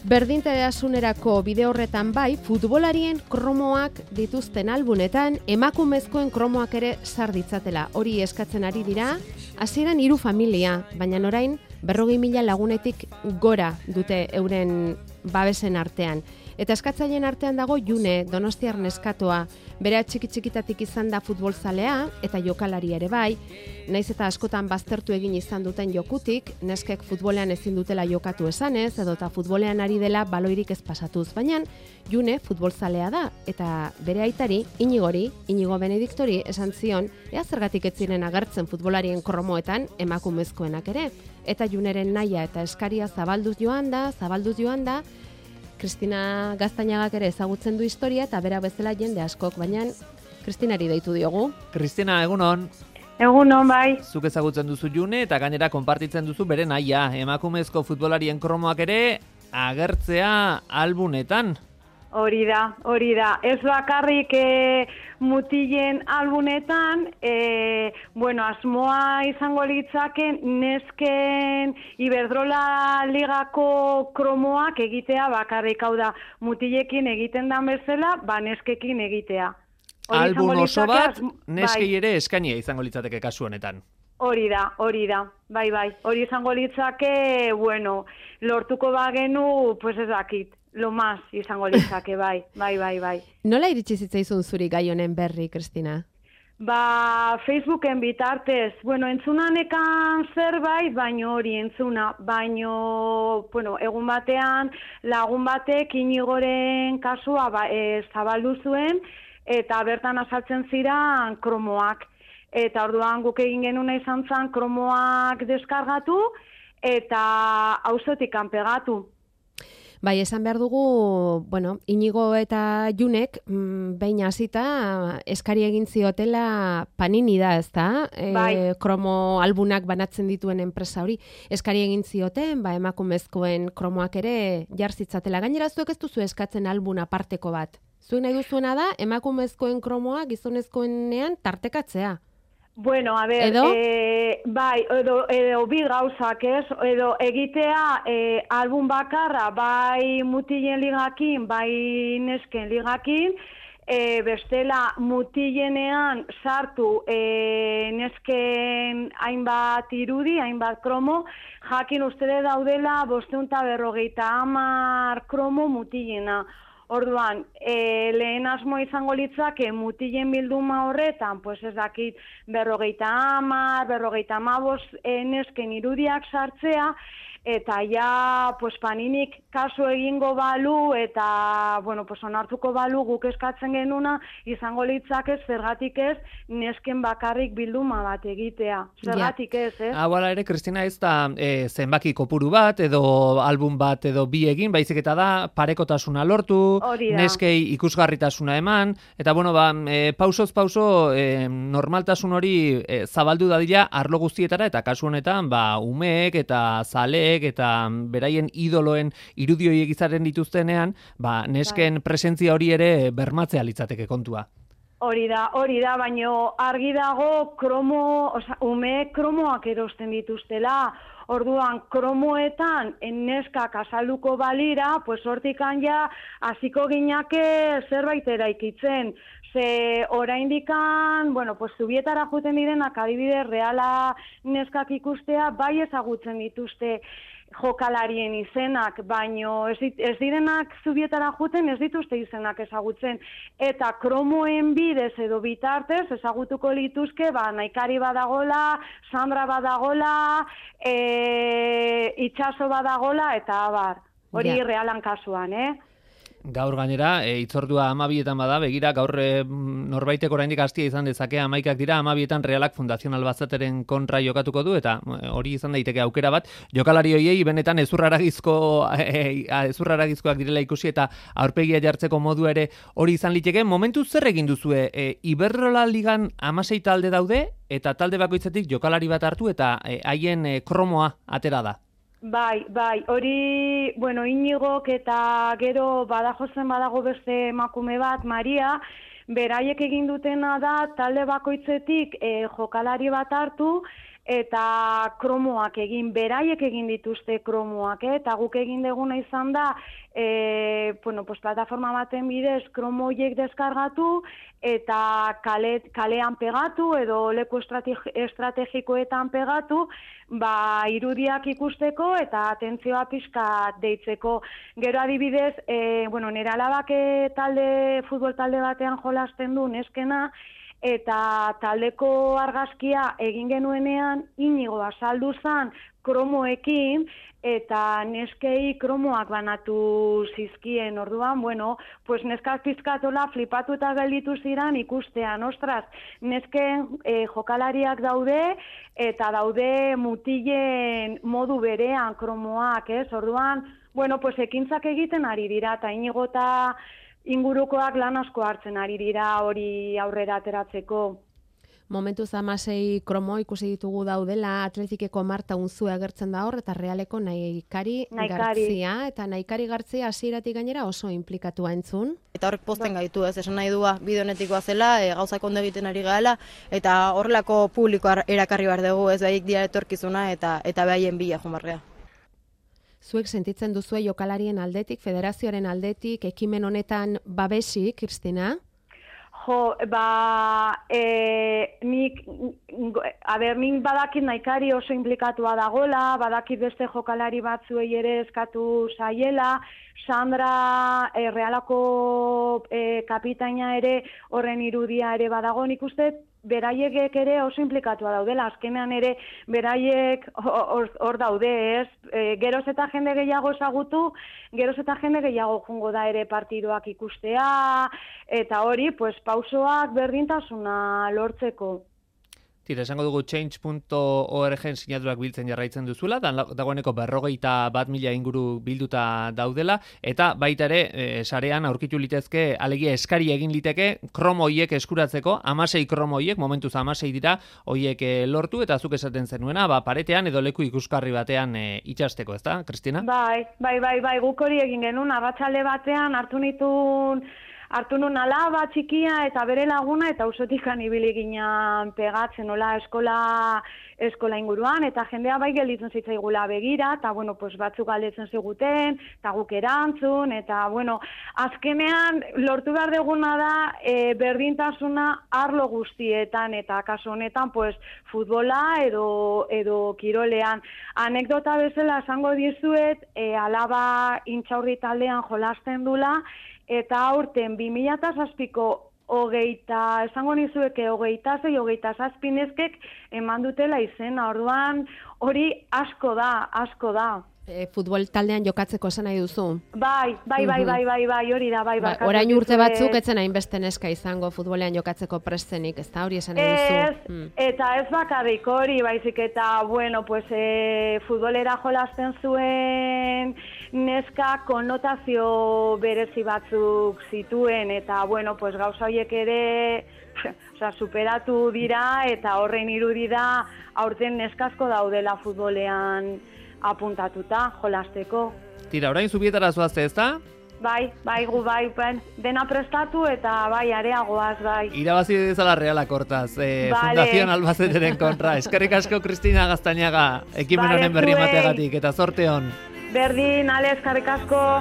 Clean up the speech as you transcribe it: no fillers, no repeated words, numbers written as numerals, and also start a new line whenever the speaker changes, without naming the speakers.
Berdintasunerako bide horretan bai, futbolarien kromoak dituzten albunetan, emakumezkoen kromoak ere sar ditzatela. Hori eskatzen ari dira, hasieran 3 familia, baina orain 40.000 lagunetik gora dute euren babesen artean. Eta eskatzaileen artean dago June, donostiar neskatoa, bere txiki-txikitatik izan da futbolzalea eta jokalari ere bai, naiz eta askotan baztertu egin izan duten jokutik, neskek futbolean ezin dutela jokatu esanez, edota futbolean ari dela baloirik ez pasatuz, baina June futbolzalea da, eta bere aitari, Inigo Benediktori esan zion, ea zergatik ez ziren agertzen futbolarien kromoetan emakumezkoenak ere, eta Juneren nahia eta eskaria zabalduz joan da, Kristina Gaztainagak ere ezagutzen du historia eta bera bezala jende askok, baina Kristinari deitu diogu.
Kristina, egunon.
Egunon, bai.
Zuk ezagutzen duzu June eta gainera konpartitzen duzu bere nahia. Emakumezko futbolarien kromoak ere agertzea albunetan.
Hori da. Ez bakarrik mutilen albunetan, asmoa izango litzake nesken Iberdrola ligako kromoak egitea bakarrik, hau da, mutilekin egiten dan bezala, neskekin egitea.
Albun oso bat, neskei ere eskainia izango litzateke kasu honetan.
Hori da, bai. Hori izango litzake, lortuko bagenu, ez dakit. Lo más izango litzake, bai.
Nola iritsi zitzaizun zuri gai honen berri, Kristina?
Facebooken bitartez, entzunanekan zerbait, baino hori entzuna, egun batean lagun batek Inigoren kasua zabaldu zuen, eta bertan azaltzen ziren kromoak. Eta orduan guk egin genuna izan zen kromoak deskargatu, eta auzotik kanpegatu.
Bai, esan behar dugu, Inigo eta Junek behin hasita eskari egin ziotela Panini da, ezta? Kromo albunak banatzen dituen enpresa hori. Eskari egin zioten, emakumezkoen kromoak ere jar zitzatela. Gainera zuek ez duzu eskatzen albun aparteko bat. Zuek nahi duzuena da, emakumezkoen kromoa gizonezkoenean tartekatzea.
Edo bi gauzak, ez? Edo egitea album bakarra, bai mutilen ligakin, bai nesken ligakin, bestela mutilenean sartu nesken hainbat irudi, hainbat kromo, jakin ustede daudela 550 kromo mutilena. Orduan, lehen asmo izango litzake mutilen bilduma horretan, ez dakit 50, 55 nesken irudiak sartzea, eta ja Paninik kasu egingo balu eta onartuko balu guk eskatzen genuna izango litzake zergatik ez nesken bakarrik bilduma bat egitea. Zergatik ez, ez?
Hala ere, Kristina, ez da zenbaki kopuru bat edo album bat edo bi egin, baizik eta da parekotasuna lortu, neskei ikusgarritasuna eman, eta pausoz pauso normaltasun hori zabaldu dadila arlo guztietara, eta kasu honetan umeek eta zaleek eta beraien idoloen irudioiek izaren dituztenean, nesken presentzia hori ere bermatzea litzateke kontua.
Hori da, baino argi dago umeek kromoak erosten dituztela. Orduan, kromoetan neskak azalduko balira, hortikan ja hasiko ginake zerbait eraikitzen. Ze oraindikan, zubietara juten direnak adibidez Reala neskak ikustea, bai ezagutzen dituzte jokalarien izenak, baino ez direnak zubietara juten, ez dituzte izenak ezagutzen. Eta kromoen bidez edo bitartez ezagutuko lituzke, Naikari badagola, Sandra badagola, Itxaso badagola, eta abar. Hori Realan kasuan,
Gaur gainera, itzordua 12etan bada, begira, gaur norbaitek oraindik hastia izan dezake 11ak dira, 12etan Realak Fundazio Albazateren kontra jokatuko du, eta hori izan daiteke aukera bat, jokalari hoiei benetan ezurraragizkoak direla ikusi eta aurpegia jartzeko modu ere hori izan liteke. Momentu zer egin duzue? Iberdrola ligan 16 talde daude, eta talde bakoitzetik jokalari bat hartu eta haien kromoa atera da.
Bai, hori, Inigok eta gero Badajozen badago beste emakume bat, Maria, beraiek egin dutena da talde bakoitzetik jokalari bat hartu eta kromoak egin, beraiek egin dituzte kromoak, eta guk egin deguna izan da, plataforma baten bidez kromoiek deskargatu, eta kalean pegatu, edo leku estrategikoetan pegatu, irudiak ikusteko eta atentzioa pixka deitzeko. Gero adibidez, nire alabak futbol talde batean jolasten du neskena, eta taldeko argazkia egin genuenean Inigo azaldu zen kromoekin, eta neskei kromoak banatu zizkien, orduan, neskak pizkatola flipatu eta gelditu ziren ikustean, ostras, nesken jokalariak daude, eta daude mutilen modu berean kromoak, orduan, ekintzak egiten ari dira, eta Inigo eta ingurukoak lan asko hartzen ari dira hori aurrera ateratzeko.
Momentuz 16 kromo ikusi ditugu daudela, Atletikeko Marta Unzue agertzen da hor, eta Realeko Naikari Gartzia, eta Naikari Gartzia hasieratik gainera oso inplikatua entzun.
Eta horrek pozten gaitu, esan nahi dua bide honetikoa zela, gauzak ondo egiten ari gaela, eta horrelako publikoa erakarri behar dugu, ez behik dira etorkizuna, eta behaien bila jomarrea.
Zuek sentitzen duzue jokalarien aldetik, federazioaren aldetik, ekimen honetan babesik, Kristina?
Nik badakit Naikari oso implikatua dagola, badakit beste jokalari batzuei ere eskatu zaiela, Sandra Realako kapitaina ere horren irudia ere badago, nik uste beraiek ere oso implikatua daudela, azkenean ere beraiek hor daude, ez? Geroz eta jende gehiago ezagutu, geroz eta jende gehiago jungo da ere partidoak ikustea, eta hori, pausoak berdintasuna lortzeko.
Tira, esango dugu change.org sinaturak biltzen jarraitzen duzuela, dagoeneko 51.000 inguru bilduta daudela, eta baita ere, sarean aurkitu litezke, alegia eskari egin liteke, kromo hoiek eskuratzeko, 16 kromo hoiek, momentuz 16 dira, hoiek lortu, eta zuk esaten zenuena, paretean edo leku ikuskarri batean itxasteko, ezta, Kristina?
Bai, guk hori egin genuen, arratsalde batean hartu nun alaba txikia eta bere laguna eta auzotik ibili ginen pegatzen nola eskola inguruan, eta jendea bai gelditzen zitzaigula begira, eta batzuk galdetzen ziguten, eta guk erantzun, eta azkenean lortu behar duguna da berdintasuna arlo guztietan, eta kasu honetan futbola edo kirolean. Anekdota bezala esango dizuet, alaba Intxaurri taldean jolasten dula, eta aurten 2007ko esango nizueke 26-27 neskek eman dutela izena, orduan hori asko da.
Futbol taldean jokatzeko esan nahi duzu?
Bai, hori da, bai.
Orain urte batzuk etzen hainbeste neska izango futbolean jokatzeko prestenik, ez da hori esan nahi duzu?
Eta ez bakarrik hori, baizik eta, futbolera jolasten zuen neska konnotazio berezi batzuk zituen, eta, gauza horiek ere superatu dira, eta horren irudi da aurten neskasko daudela futbolean apuntatuta, jolasteko.
Tira, orain zubietara zoazte, ez da?
Bai, dena prestatu eta areagoaz, bai.
Irabazi dezala Realak hortaz, Fundación Albaceteren kontra. Eskerrik asko, Kristina Gaztañaga, ekimen honen berri emateagatik, eta zorte hon.
Berdin, ale, eskerrik asko.